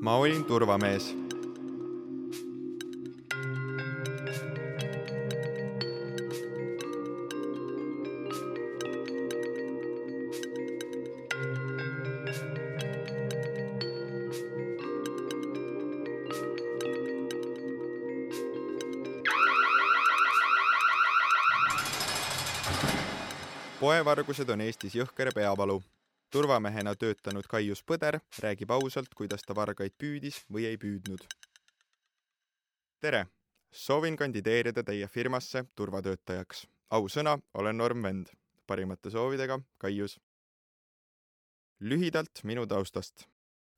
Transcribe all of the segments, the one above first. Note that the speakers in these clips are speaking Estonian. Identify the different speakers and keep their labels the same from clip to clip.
Speaker 1: Ma olin turvamees. Poevargused on Eestis jõhker peavalu. Turvamehena töötanud Kaius Põder räägib ausalt, kuidas ta vargaid püüdis või ei püüdnud. Tere! Soovin kandideerida teie firmasse turvatöötajaks. Ausõna, olen Norm Vend. Parimate soovidega, Kaius. Lühidalt minu taustast.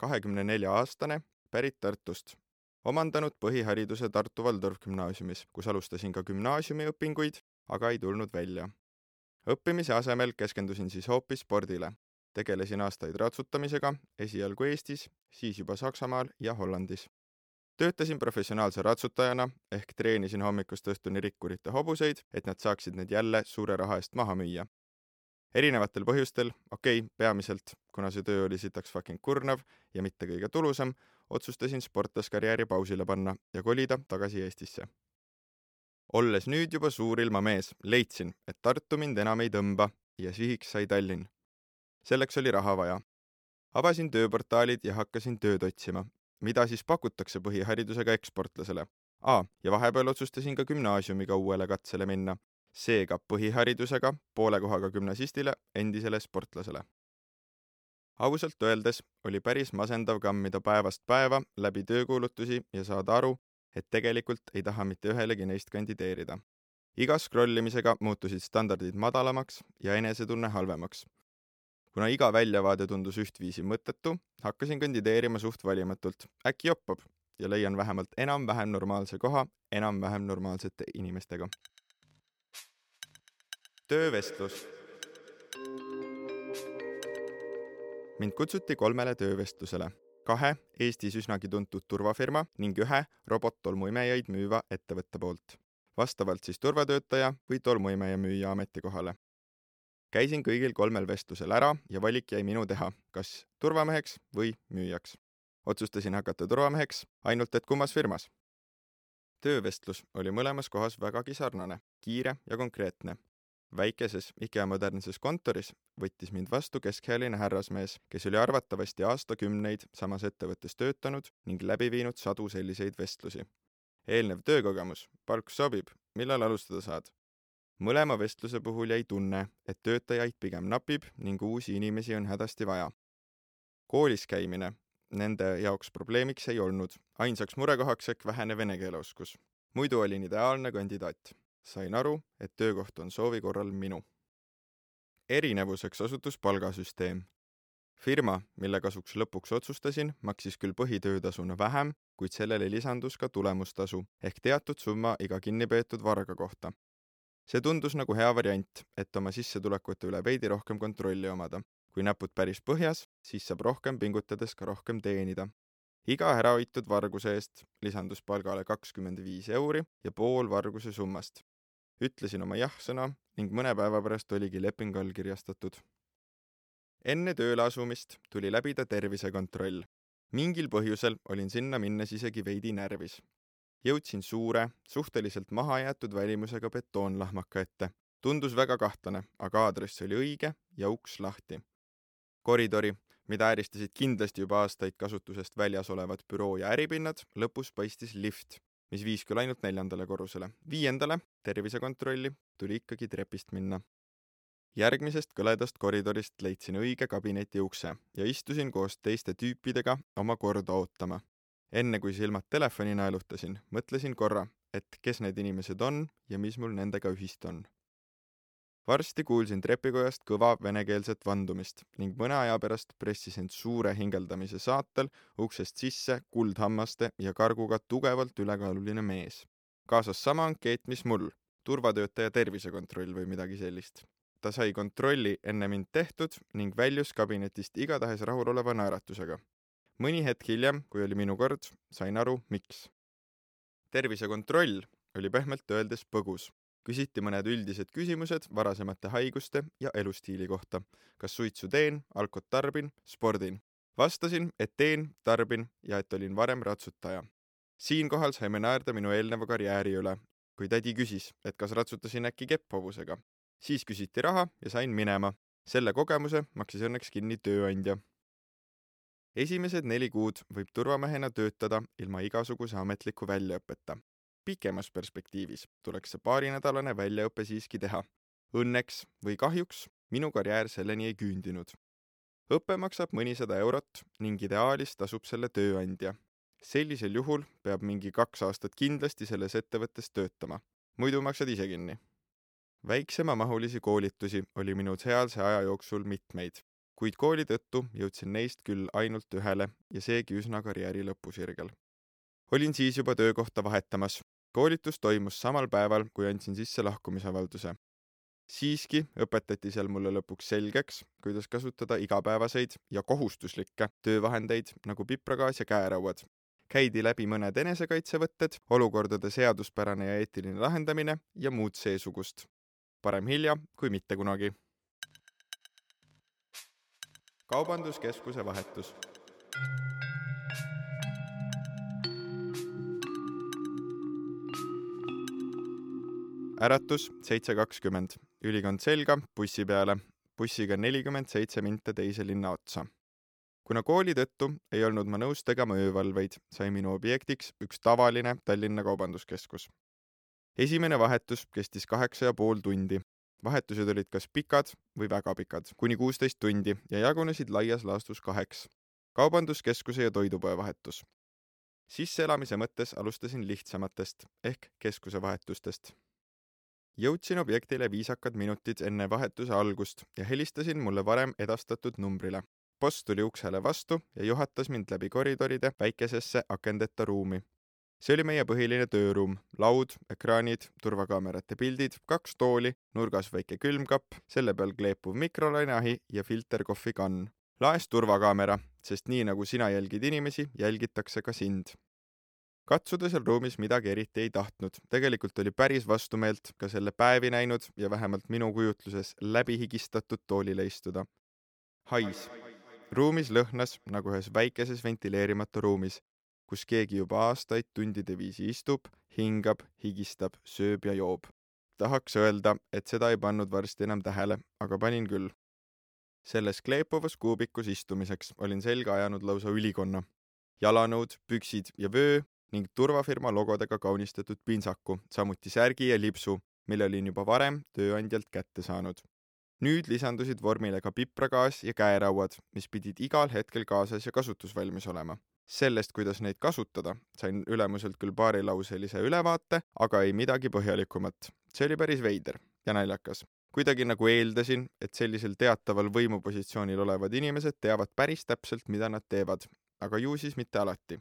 Speaker 1: 24-aastane, pärit Tartust. Omandanud põhihariduse Tartu Valdorf gümnaasiumis, kus alustasin ka gümnaasiumiõpinguid, aga ei tulnud välja. Õppimise asemel keskendusin siis hoopis spordile. Tegelesin aastaid ratsutamisega, esialgu Eestis, siis juba Saksamaal ja Hollandis. Töötasin professionaalse ratsutajana ehk treenisin hommikust õhtuni rikkurite hobuseid, et nad saaksid need jälle suure raha eest maha müüa. Erinevatel põhjustel, peamiselt, kuna see töö oli sitaks fucking kurnav ja mitte kõige tulusam, otsustasin sportlaskarjääri pausile panna ja kolida tagasi Eestisse. Olles nüüd juba suurilma mees, leidsin, et Tartu mind enam ei tõmba ja sihiks sai Tallinn. Selleks oli raha vaja. Avasin tööportaalid ja hakkasin tööd otsima. Mida siis pakutakse põhiharidusega eksportlasele? Ja vahepeal otsustasin ka gümnaasiumiga uuele katsele minna. Seega põhiharidusega, poole kohaga gümnasistile, endisele sportlasele. Ausalt öeldes oli päris masendav kammida päevast päeva läbi töökuulutusi ja saada aru, et tegelikult ei taha mitte ühelegi neist kandideerida. Iga scrollimisega muutusid standardid madalamaks ja enesetunne halvemaks. Kuna iga väljavaade tundus ühtviisi mõttetu, hakkasin kandideerima suht valimatult. Äkki joppab ja leian vähemalt enam-vähem normaalse koha enam-vähem normaalsete inimestega. Töövestlus. Mind kutsuti 3 töövestlusele. 2 Eestis üsnagi tuntud turvafirma ning 1 robot-tolmuimejaid müüva ettevõtte poolt. Vastavalt siis turvatöötaja või tolmuimeja müüja ametikohale. Käisin kõigil 3 vestlusel ära ja valik jäi minu teha, kas turvameheks või müüjaks. Otsustasin hakata turvameheks, ainult et kummas firmas. Töövestlus oli mõlemas kohas vägagi sarnane, kiire ja konkreetne. Väikeses IKEA modernses kontoris võttis mind vastu keskealine härrasmees, kes oli arvatavasti aastakümneid samas ettevõttes töötanud ning läbi viinud sadu selliseid vestlusi. Eelnev töökogemus, palk sobib, millal alustada saad? Mõlema vestluse puhul jäi tunne, et töötajaid pigem napib ning uusi inimesi on hädasti vaja. Koolis käimine nende jaoks probleemiks ei olnud, ainsaks murekohaks ehk vähene vene keeleoskus. Muidu olin ideaalne kandidaat. Sain aru, et töökoht on soovi korral minu. Erinevuseks osutus palgasüsteem. Firma, mille kasuks lõpuks otsustasin, maksis küll põhitöötasuna vähem, kuid sellele lisandus ka tulemustasu ehk teatud summa iga kinnipeetud varga kohta. See tundus nagu hea variant, et oma sissetulekute üle veidi rohkem kontrolli omada. Kui näpud päris põhjas, siis saab rohkem pingutades ka rohkem teenida. Iga ärahoitud varguse eest lisandus palgale 25 € ja pool varguse summast. Ütlesin oma jah-sõna ning mõne päeva pärast oligi leping allkirjastatud. Enne tööle asumist tuli läbida tervisekontroll. Mingil põhjusel olin sinna minnes isegi veidi närvis. Jõudsin suure, suhteliselt mahajäetud välimusega betoonlahmaka ette. Tundus väga kahtlane, aga aadress oli õige ja uks lahti. Koridori, mida ääristasid kindlasti juba aastaid kasutusest väljas olevad büroo ja äripinnad, lõpus paistis lift, mis viis küll ainult 4. korrusele. 5. tervisekontrolli tuli ikkagi trepist minna. Järgmisest kõledast koridorist leidsin õige kabineti ukse ja istusin koos teiste tüüpidega oma korda ootama. Enne kui silmad telefoni naelutasin, mõtlesin korra, et kes need inimesed on ja mis mul nendega ühist on. Varsti kuulsin trepikojast kõva venekeelset vandumist ning mõne aja pärast pressis end suure hingeldamise saatel uksest sisse kuldhammaste ja karguga tugevalt ülekaaluline mees. Kaasas sama ankeet, mis mul, turvatöötaja tervisekontroll või midagi sellist. Ta sai kontrolli enne mind tehtud ning väljus kabinetist igatahes rahuloleva naeratusega. Mõni hetk hiljem, kui oli minu kord, sain aru, miks. Tervisekontroll oli pehmelt öeldes põgus. Küsiti mõned üldised küsimused varasemate haiguste ja elustiili kohta. Kas suitsu teen, alkot tarbin, spordin. Vastasin, et teen, tarbin ja et olin varem ratsutaja. Siinkohal saime naerda minu eelneva karjääri üle, kui tädi küsis, et kas ratsutasin äkki kepphobusega. Siis küsiti raha ja sain minema. Selle kogemuse maksis õnneks kinni tööandja. Esimesed 4 kuud võib turvamehena töötada ilma igasuguse ametliku väljaõppeta. Pikemas perspektiivis tuleks see paarinädalane väljaõppe siiski teha. Õnneks või kahjuks minu karjäär selleni ei küündinud. Õppe maksab mõnisada eurot ning ideaalis tasub selle tööandja. Sellisel juhul peab mingi 2 aastat kindlasti selles ettevõttes töötama. Muidu maksad ise kinni. Väiksema mahulisi koolitusi oli minu sealse aja jooksul mitmeid, kuid kooli tõttu jõudsin neist küll ainult ühele ja seegi üsna karjääri lõpusirgel. Olin siis juba töökohta vahetamas. Koolitus toimus samal päeval, kui andsin sisse lahkumisavalduse. Siiski õpetati seal mulle lõpuks selgeks, kuidas kasutada igapäevaseid ja kohustuslikke töövahendeid nagu pipragaas ja käerauad. Käidi läbi mõned enesekaitsevõtted, olukordade seaduspärane ja eetiline lahendamine ja muud seesugust. Parem hilja kui mitte kunagi. Kaubanduskeskuse vahetus. Äratus 7.20. Ülikond selga, bussi peale. Bussiga 47 minta teise linna otsa. Kuna kooli tõttu ei olnud ma nõus tegema öövalveid, sai minu objektiks üks tavaline Tallinna kaubanduskeskus. Esimene vahetus kestis 8,5 tundi. Vahetused olid kas pikad või väga pikad, kuni 16 tundi ja jagunesid laias laastus 2. Kaubanduskeskuse ja toidupoe vahetus. Sisseelamise mõttes alustasin lihtsamatest ehk keskuse vahetustest. Jõudsin objektile viisakad minutid enne vahetuse algust ja helistasin mulle varem edastatud numbrile. Boss tuli uksele vastu ja juhatas mind läbi koridoride väikesesse akendeta ruumi. See oli meie põhiline tööruum, laud, ekraanid, turvakaamerate pildid, 2 tooli, nurgas väike külmkapp, selle peal kleepuv mikrolaineahi ja filterkohvikann. Laes turvakaamera, sest nii nagu sina jälgid inimesi, jälgitakse ka sind. Katsuda seal ruumis midagi eriti ei tahtnud. Tegelikult oli päris vastumeelt ka selle päevi näinud ja vähemalt minu kujutluses läbi higistatud toolile istuda. Hais. Ruumis lõhnas nagu ühes väikeses ventileerimata ruumis, kus keegi juba aastaid tundide viisi istub, hingab, higistab, sööb ja joob. Tahaks öelda, et seda ei pannud varsti enam tähele, aga panin küll. Selles kleepuvas kuubikus istumiseks olin selga ajanud lausa ülikonna. Jalanõud, püksid ja vöö ning turvafirma logodega kaunistatud pintsaku, samuti särgi ja lipsu, mille olin juba varem tööandjalt kätte saanud. Nüüd lisandusid vormile ka pipragaas ja käerauad, mis pidid igal hetkel kaasas ja kasutusvalmis olema. Sellest, kuidas neid kasutada, sain ülemuselt küll paarilauselise ülevaate, aga ei midagi põhjalikumat. See oli päris veider ja naljakas. Kuidagi nagu eeldasin, et sellisel teataval võimupositsioonil olevad inimesed teavad päris täpselt, mida nad teevad, aga ju siis mitte alati.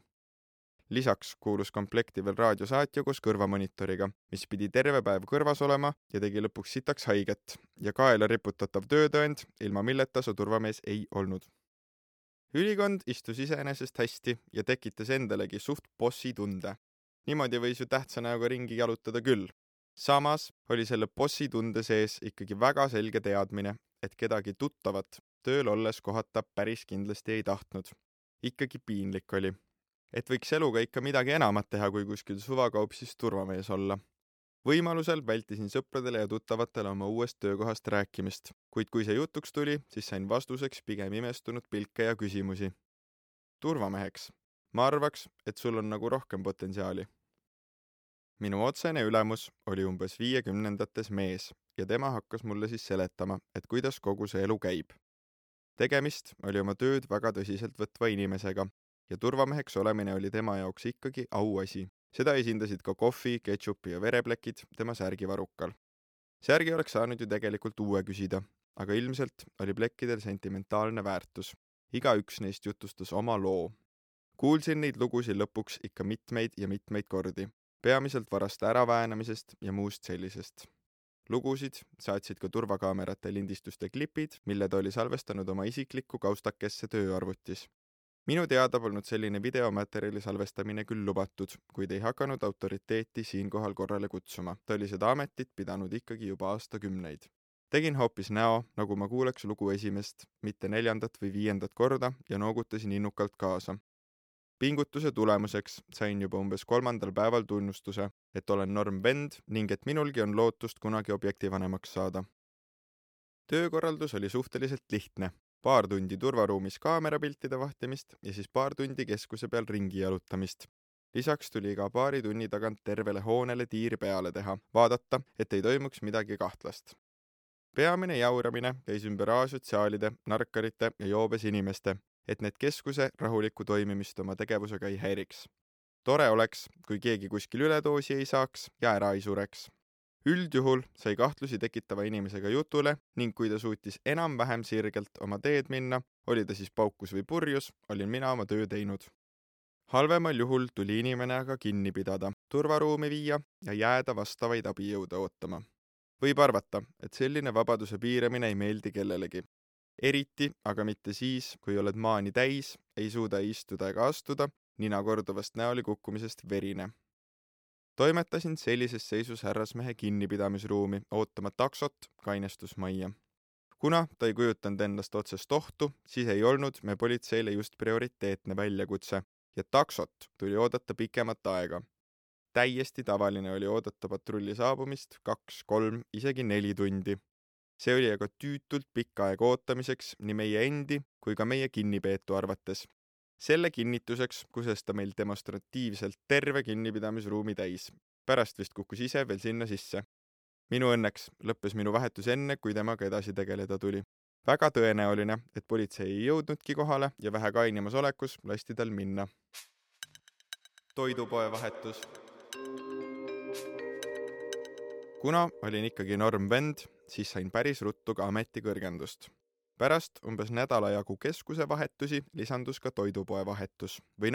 Speaker 1: Lisaks kuulus komplekti veel raadiosaatja koos kõrvamonitoriga, mis pidi terve päev kõrvas olema ja tegi lõpuks sitaks haiget ja kaela riputatav töötõend, ilma milleta su turvamees ei olnud. Ülikond istus iseenesest hästi ja tekitas endalegi suht bossi tunde. Niimoodi võis ju tähtsa näoga ringi jalutada küll. Samas oli selle bossi tunde sees ikkagi väga selge teadmine, et kedagi tuttavat tööl olles kohata päris kindlasti ei tahtnud. Ikkagi piinlik oli. Et võiks eluga ikka midagi enamat teha, kui kuskil suvakaupsis turvamees olla. Võimalusel vältisin sõpradele ja tuttavatele oma uuest töökohast rääkimist, kuid kui see jutuks tuli, siis sain vastuseks pigem imestunud pilke ja küsimusi. Turvameheks. Ma arvaks, et sul on nagu rohkem potentsiaali. Minu otsene ülemus oli umbes 50-ndates mees ja tema hakkas mulle siis seletama, et kuidas kogu see elu käib. Tegemist oli oma tööd väga tõsiselt võtva inimesega ja turvameheks olemine oli tema jaoks ikkagi auasi. Seda esindasid ka kohvi, ketšupi ja vereplekid tema särgivarukal. Särgi oleks saanud ju tegelikult uue küsida, aga ilmselt oli plekkidel sentimentaalne väärtus. Igaüks neist jutustas oma loo. Kuulsin neid lugusid lõpuks ikka mitmeid ja mitmeid kordi, peamiselt varaste äraväänamisest ja muust sellisest. Lugusid saatsid ka turvakaamerate lindistuste klipid, mille ta oli salvestanud oma isiklikku kaustakesse tööarvutis. Minu teada polnud selline videomaterjali salvestamine küll lubatud, kuid ei hakanud autoriteeti siinkohal korrale kutsuma. Ta oli seda ametit pidanud ikkagi juba aastakümneid. Tegin hoopis näo, nagu ma kuuleks lugu esimest, mitte 4. või 5. korda ja noogutasin innukalt kaasa. Pingutuse tulemuseks sain juba umbes 3. päeval tunnustuse, et olen normvend ning et minulgi on lootust kunagi objektivanemaks saada. Töökorraldus oli suhteliselt lihtne. Paar tundi turvaruumis kaamerapiltide vahtimist ja siis paar tundi keskuse peal ringi jalutamist. Lisaks tuli iga paari tunni tagant tervele hoonele tiir peale teha, vaadata, et ei toimuks midagi kahtlast. Peamine jauramine käis ümber asotsiaalide, narkarite ja joobes inimeste, et need keskuse rahulikku toimimist oma tegevusega ei häiriks. Tore oleks, kui keegi kuskil üledoosi ei saaks ja ära ei sureks. Üldjuhul sai kahtlusi tekitava inimesega jutule ning kui ta suutis enam-vähem sirgelt oma teed minna, oli ta siis paukus või purjus, olin mina oma töö teinud. Halvemal juhul tuli inimene aga kinni pidada, turvaruumi viia ja jääda vastavaid abijõude ootama. Võib arvata, et selline vabaduse piiramine ei meeldi kellelegi. Eriti, aga mitte siis, kui oled maani täis, ei suuda istuda ega astuda, nina korduvast näoli kukkumisest verine. Toimetasin sellises seisus härrasmehe kinnipidamisruumi, ootama taksot kainestusmajja. Kuna ta ei kujutanud endast otsest ohtu, siis ei olnud me politseile just prioriteetne väljakutse ja taksot tuli oodata pikemat aega. Täiesti tavaline oli oodata patrulli saabumist 2, 3, isegi 4 tundi. See oli aga tüütult pikka aega ootamiseks nii meie endi kui ka meie kinnipeetu arvates. Selle kinnituseks kuses ta meil demonstratiivselt terve kinnipidamisruumi täis. Pärast vist kukkus ise veel sinna sisse. Minu õnneks lõppes minu vahetus enne, kui temaga edasi tegeleda tuli. Väga tõenäoline, et politsei ei jõudnudki kohale ja vähe kainimas olekus lasti tal minna. Toidupoe vahetus. Kuna olin ikkagi normvend, siis sain päris ruttu ka ametikõrgendust. Pärast umbes nädala jagu keskuse vahetusi lisandus ka toidupoe vahetus. Või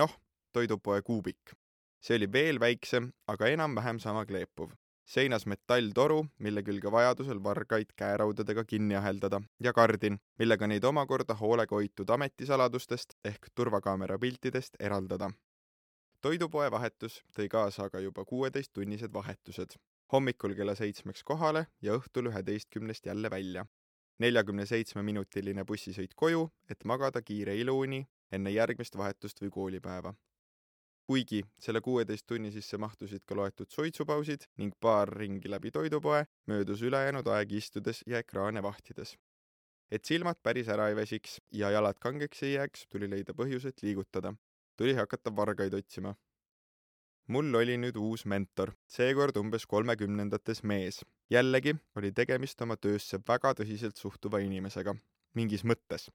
Speaker 1: toidupoe kuubik. See oli veel väiksem, aga enam-vähem sama kleepuv. Seinas metalltoru, mille külge vajadusel vargaid käeraudadega kinni aheldada ja kardin, millega neid omakorda hoolega hoitud ametisaladustest ehk turvakaamera piltidest eraldada. Toidupoe vahetus tõi kaasa aga juba 16-tunnised vahetused. Hommikul kella 7 kohale ja õhtul 11 jälle välja. 47-minutiline bussisõit koju, et magada kiire iluuni enne järgmist vahetust või koolipäeva. Kuigi selle 16 tunni sisse mahtusid ka loetud suitsupausid ning paar ringi läbi toidupoe, möödus ülejäänud aeg istudes ja ekraane vahtides. Et silmad päris ära ei väsiks ja jalad kangeks ei jääks, tuli leida põhjused liigutada. Tuli hakata vargaid otsima. Mul oli nüüd uus mentor, seekord umbes 30-ndates mees. Jällegi oli tegemist oma töösse väga tõsiselt suhtuva inimesega, mingis mõttes.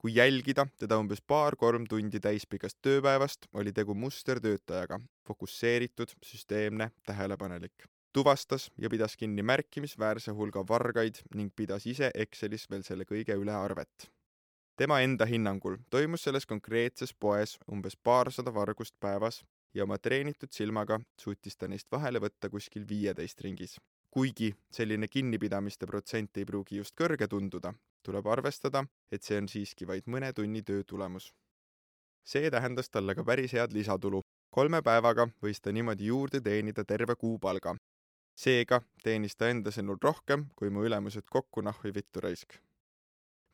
Speaker 1: Kui jälgida teda umbes 2-3 tundi täispikast tööpäevast, oli tegu mustertöötajaga, fokusseeritud, süsteemne, tähelepanelik. Tuvastas ja pidas kinni märkimisväärse hulga vargaid ning pidas ise Excelis veel selle kõige üle arvet. Tema enda hinnangul toimus selles konkreetses poes umbes 200 vargust päevas ja oma treenitud silmaga suutis ta neist vahele võtta kuskil 15 ringis. Kuigi selline kinnipidamiste protsent ei pruugi just kõrge tunduda, tuleb arvestada, et see on siiski vaid mõne tunni töö tulemus. See tähendas talle ka päris head lisatulu. 3 päevaga võis ta niimoodi juurde teenida terve kuupalga. Seega teenis ta enda sõnul rohkem, kui mu ülemused kokku nahvi vittu raisk.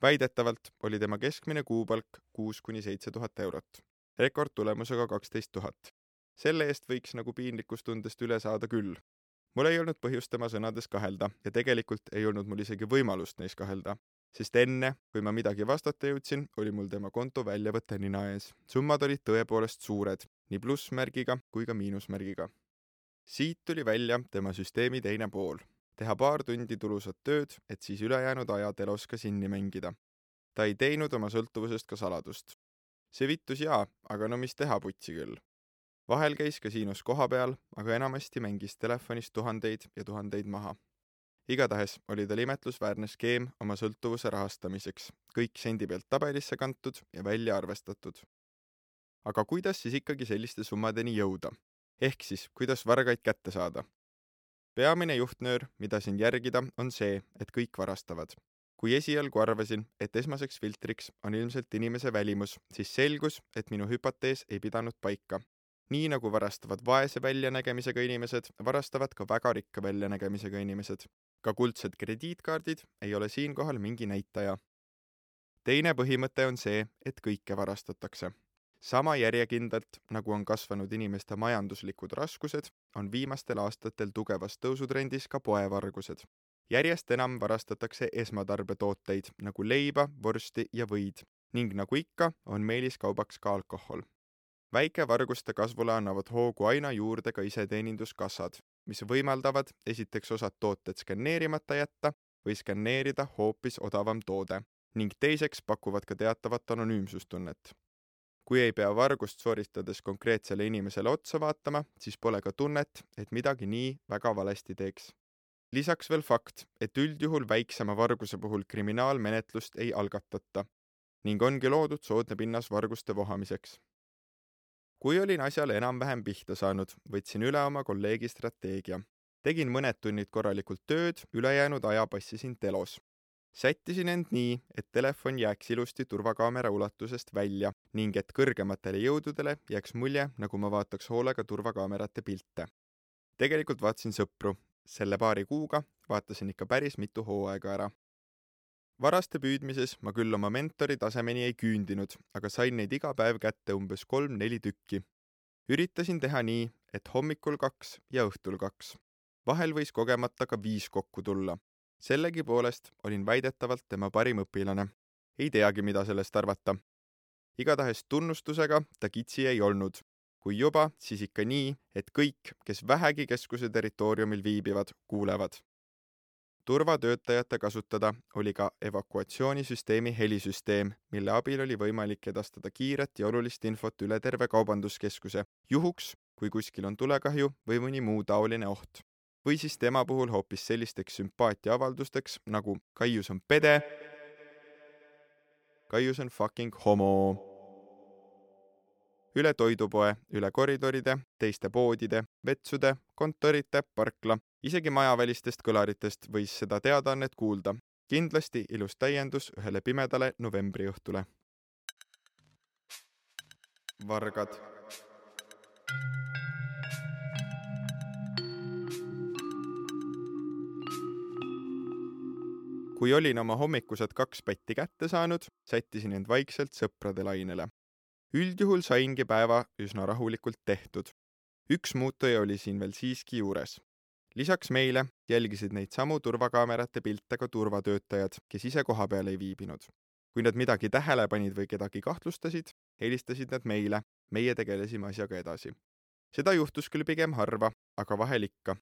Speaker 1: Väidetavalt oli tema keskmine kuupalk 6-7 000 eurot. Rekordtulemusega 12 000. Selle eest võiks nagu piinlikustundest üle saada küll. Mul ei olnud põhjust tema sõnades kahelda ja tegelikult ei olnud mul isegi võimalust neis kahelda, sest enne, kui ma midagi vastata jõudsin, oli mul tema konto väljavõte nina ees. Summad olid tõepoolest suured, nii plussmärgiga kui ka miinusmärgiga. Siit tuli välja tema süsteemi teine pool. Teha 2 tundi tulusat tööd, et siis ülejäänud aja telos ka sinni mängida. Ta ei teinud oma sõltuvusest ka saladust. See vittus aga no mis teha putsi küll. Vahel käis kasiinos koha peal, aga enamasti mängis telefonis tuhandeid ja tuhandeid maha. Igatahes oli tal imetlusväärne skeem oma sõltuvuse rahastamiseks, kõik sendi pealt tabelisse kantud ja välja arvestatud. Aga kuidas siis ikkagi selliste summadeni jõuda? Ehk siis, kuidas vargaid kätte saada? Peamine juhtnöör, mida siin järgida, on see, et kõik varastavad. Kui esialgu arvasin, et esmaseks filtriks on ilmselt inimese välimus, siis selgus, et minu hüpotees ei pidanud paika. Nii nagu varastavad vaese väljanägemisega inimesed, varastavad ka väga rikka väljanägemisega inimesed. Ka kuldsed krediitkaardid ei ole siinkohal mingi näitaja. Teine põhimõte on see, et kõike varastatakse. Sama järjekindlalt, nagu on kasvanud inimeste majanduslikud raskused, on viimastel aastatel tugevas tõusutrendis ka poevargused. Järjest enam varastatakse esmatarbetooteid nagu leiba, vorsti ja võid ning nagu ikka on meeliskaubaks ka alkohol. Väikevarguste kasvule annavad hoogu aina juurde ka iseteeninduskassad, mis võimaldavad esiteks osad tooted skanneerimata jätta või skanneerida hoopis odavam toode ning teiseks pakuvad ka teatavat anonüümsustunnet. Kui ei pea vargust sooritades konkreetsele inimesele otsa vaatama, siis pole ka tunnet, et midagi nii väga valesti teeks. Lisaks veel fakt, et üldjuhul väiksema varguse puhul kriminaalmenetlust ei algatata ning ongi loodud soodne pinnas varguste vohamiseks. Kui olin asjale enam-vähem pihta saanud, võtsin üle oma kolleegi strateegia. Tegin mõned tunnid korralikult tööd, ülejäänud aja passisin telos. Sättisin end nii, et telefon jääks ilusti turvakaamera ulatusest välja ning et kõrgematele jõududele jääks mulje, nagu ma vaataks hoolega turvakaamerate pilte. Tegelikult vaatasin sõpru. Selle paari kuuga vaatasin ikka päris mitu hooaega ära. Varaste püüdmises ma küll oma mentori tasemeni ei küündinud, aga sain neid iga päev kätte umbes 3-4 tükki. Üritasin teha nii, et hommikul 2 ja õhtul 2. Vahel võis kogemata ka 5 kokku tulla. Sellegi poolest olin väidetavalt tema parim õpilane. Ei teagi, mida sellest arvata. Igatahes tunnustusega ta kitsi ei olnud. Kui juba, siis ikka nii, et kõik, kes vähegi keskuse territooriumil viibivad, kuulevad. Turvatöötajate kasutada oli ka evakuatsioonisüsteemi helisüsteem, mille abil oli võimalik edastada kiiret ja olulist infot üle terve kaubanduskeskuse, juhuks, kui kuskil on tulekahju või mõni muu taoline oht. Või siis tema puhul hoopis sellisteks sümpaatiaavaldusteks, nagu Kaius on pede, Kaius on fucking homo. Üle toidupoe, üle koridoride, teiste poodide, vetsude, kontorite, parkla, isegi majavälistest kõlaritest võis seda teadaannet kuulda. Kindlasti ilus täiendus ühele pimedale novembriõhtule. Vargad. Kui olin oma hommikused 2 pätti kätte saanud, sättisin end vaikselt sõprade lainele. Üldjuhul saingi päeva üsna rahulikult tehtud. Üks muutuja oli siin veel siiski juures. Lisaks meile jälgisid neid samu turvakaamerate pilte ka turvatöötajad, kes ise koha peal ei viibinud. Kui nad midagi tähele panid või kedagi kahtlustasid, helistasid nad meile, meie tegelesime asjaga edasi. Seda juhtus küll pigem harva, aga vahel ikka.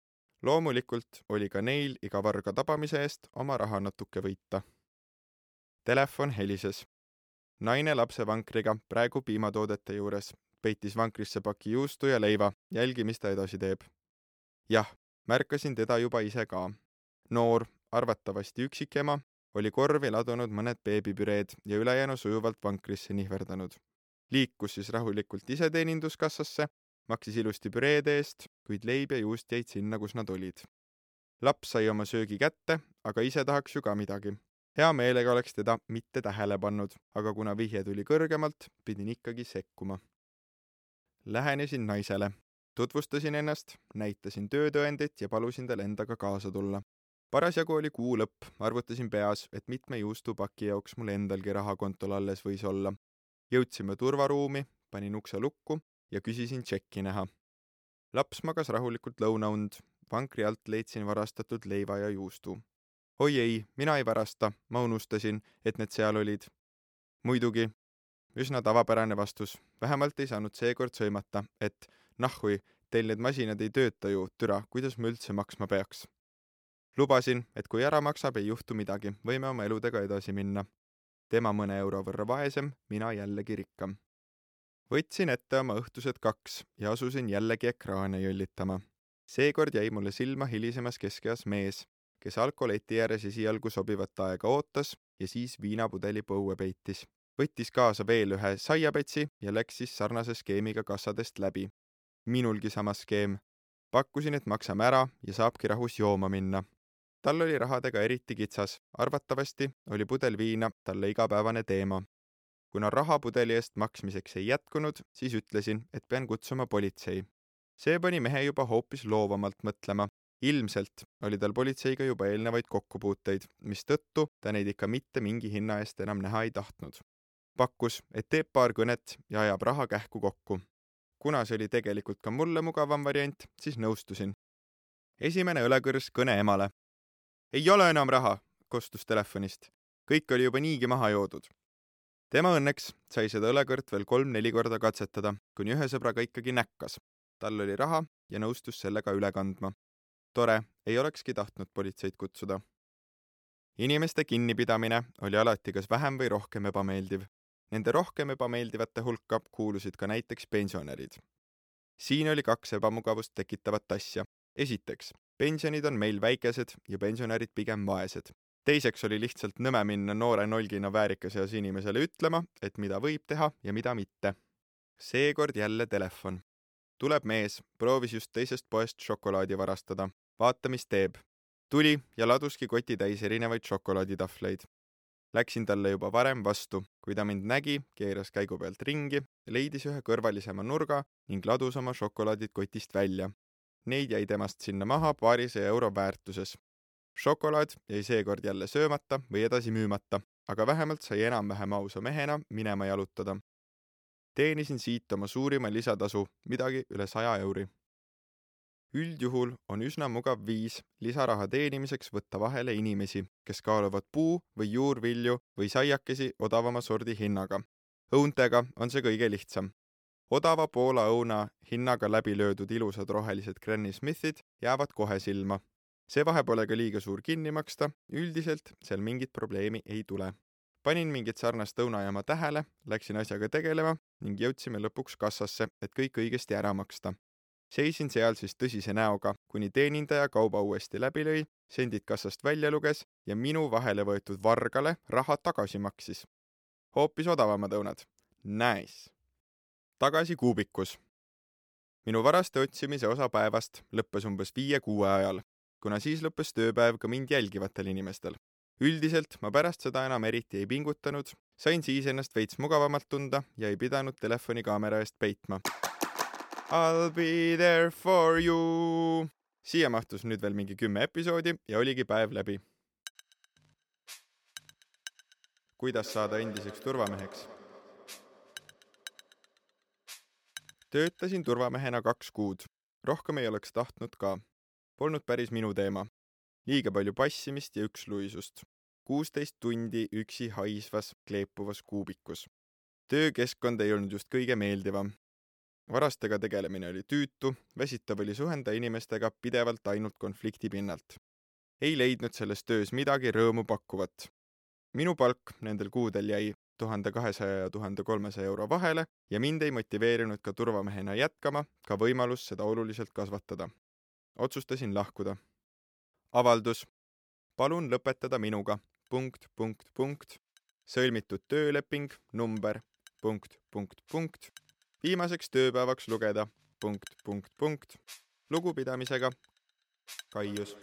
Speaker 1: Loomulikult oli ka neil iga varga tabamise eest oma raha natuke võita. Telefon helises. Naine lapsevankriga praegu piimatoodete juures peitis vankrisse paki juustu ja leiva, jälgi, mis ta edasi teeb. Jah, märkasin teda juba ise ka. Noor, arvatavasti üksikema, oli korvi ladunud mõned beebipüreed ja ülejäänu sujuvalt vankrisse nihverdanud. Liikus siis rahulikult iseteeninduskassasse, maksis ilusti püreede eest, kuid leib ja juust jäid sinna, kus nad olid. Laps sai oma söögi kätte, aga ise tahaks ju ka midagi. Hea meelega oleks teda mitte tähele pannud, aga kuna vihje tuli kõrgemalt, pidin ikkagi sekkuma. Lähenesin naisele. Tutvustasin ennast, näitasin töötõendit ja palusin tal endaga kaasa tulla. Parasjagu oli kuu lõpp, arvutasin peas, et mitme juustupaki jaoks mul endalgi rahakontol alles võis olla. Jõudsime turvaruumi, panin ukse lukku ja küsisin tšekki näha. Laps magas rahulikult lõunaund, vankri alt leidsin varastatud leiva ja juustu. Oi ei, mina ei varasta, ma unustasin, et need seal olid. Muidugi, üsna tavapärane vastus, vähemalt ei saanud seekord sõimata, et nahhui, teil need masinad ei tööta ju, türa, kuidas ma üldse maksma peaks. Lubasin, et kui ära maksab, ei juhtu midagi, võime oma eludega edasi minna. Tema mõne euro võrra vaesem, mina jällegi rikkam. Võtsin ette oma õhtused 2 ja asusin jällegi ekraane jõllitama. Seekord jäi mulle silma hilisemas keskeas mees, kes alkoleti ääres esialgu sobivat aega ootas ja siis viinapudeli põue peitis. Võttis kaasa veel ühe saiapetsi ja läks siis sarnase skeemiga kassadest läbi. Minulgi sama skeem. Pakkusin, et maksame ära ja saabki rahus jooma minna. Tal oli rahadega eriti kitsas. Arvatavasti oli pudel viina talle igapäevane teema. Kuna raha pudeli eest maksmiseks ei jätkunud, siis ütlesin, et pean kutsuma politsei. See pani mehe juba hoopis loovamalt mõtlema Ilmselt oli tal politseiga juba eelnevaid kokkupuuteid, mistõttu ta neid ikka mitte mingi hinna eest enam näha ei tahtnud. Pakkus, et teeb paar kõnet ja ajab raha kähku kokku. Kuna see oli tegelikult ka mulle mugavam variant, siis nõustusin. Esimene õlekõrs kõne emale. Ei ole enam raha, kostus telefonist. Kõik oli juba niigi maha joodud. Tema õnneks sai seda õlekõrt veel 3-4 korda katsetada, kuni ühe sõbraga ikkagi näkkas. Tal oli raha ja nõustus sellega üle kandma. Tore, ei olekski tahtnud politseid kutsuda. Inimeste kinnipidamine oli alati kas vähem või rohkem ebameeldiv. Nende rohkem ebameeldivate hulka kuulusid ka näiteks pensionärid. Siin oli 2 ebamugavust tekitavat asja. Esiteks, pensionid on meil väikesed ja pensionärid pigem vaesed. Teiseks oli lihtsalt nõme minna noore nolgina väärikas eas inimesele ütlema, et mida võib teha ja mida mitte. Seekord jälle telefon. Tuleb mees, proovis just teisest poest šokolaadi varastada. Vaata, mis teeb. Tuli ja laduski koti täis erinevaid šokolaaditahvleid. Läksin talle juba varem vastu, kui ta mind nägi, keeras käigu pealt ringi, leidis ühe kõrvalisema nurga ning ladus oma šokolaadid kotist välja. Neid jäi temast sinna maha 200 euro väärtuses. Šokolaad jäi seekord jälle söömata või edasi müümata, aga vähemalt sai enam-vähem ausa mehena minema jalutada. Teenisin siit oma suurima lisatasu, midagi üle 100 euri. Üldjuhul on üsna mugav viis lisaraha teenimiseks võtta vahele inimesi, kes kaaluvad puu- või juurvilju või saiakesi odavama sordi hinnaga. Õuntega on see kõige lihtsam. Odava Poola õuna hinnaga läbi löödud ilusad rohelised Granny Smithid jäävad kohe silma. See vahe pole ka liiga suur kinni maksta, üldiselt seal mingit probleemi ei tule. Panin mingit sarnast õunajama tähele, läksin asjaga tegelema ning jõudsime lõpuks kassasse, et kõik õigesti ära maksta. Seisin seal siis tõsise näoga, kuni teenindaja kauba uuesti läbi lõi, sendid kassast välja luges ja minu vahele võetud vargale raha tagasi maksis. Hoopis odavamad õunad. Nice. Tagasi kuubikus. Minu varaste otsimise osa päevast lõppes umbes 5-6 ajal, kuna siis lõppes tööpäev ka mind jälgivatel inimestel. Üldiselt ma pärast seda enam eriti ei pingutanud, sain siis ennast veits mugavamalt tunda ja ei pidanud telefonikaamera eest peitma. I'll be there for you. Siia mahtus nüüd veel mingi 10 episoodi ja oligi päev läbi. Kuidas saada endiseks turvameheks? Töötasin turvamehena 2 kuud. Rohkem ei oleks tahtnud ka. Polnud päris minu teema. Liiga palju passimist ja üksluisust. 16 tundi üksi haisvas, kleepuvas kuubikus. Töökeskkond ei olnud just kõige meeldivam. Varastega tegelemine oli tüütu, väsitav oli suhenda inimestega pidevalt ainult konflikti pinnalt. Ei leidnud selles töös midagi rõõmu pakkuvat. Minu palk nendel kuudel jäi 1200 ja 1300 euro vahele ja mind ei motiveerinud ka turvamehena jätkama, ka võimalus seda oluliselt kasvatada. Otsustasin lahkuda. Avaldus. Palun lõpetada minuga. ... Sõlmitud tööleping, number ... Viimaseks tööpäevaks lugeda ... Lugupidamisega. Kaius.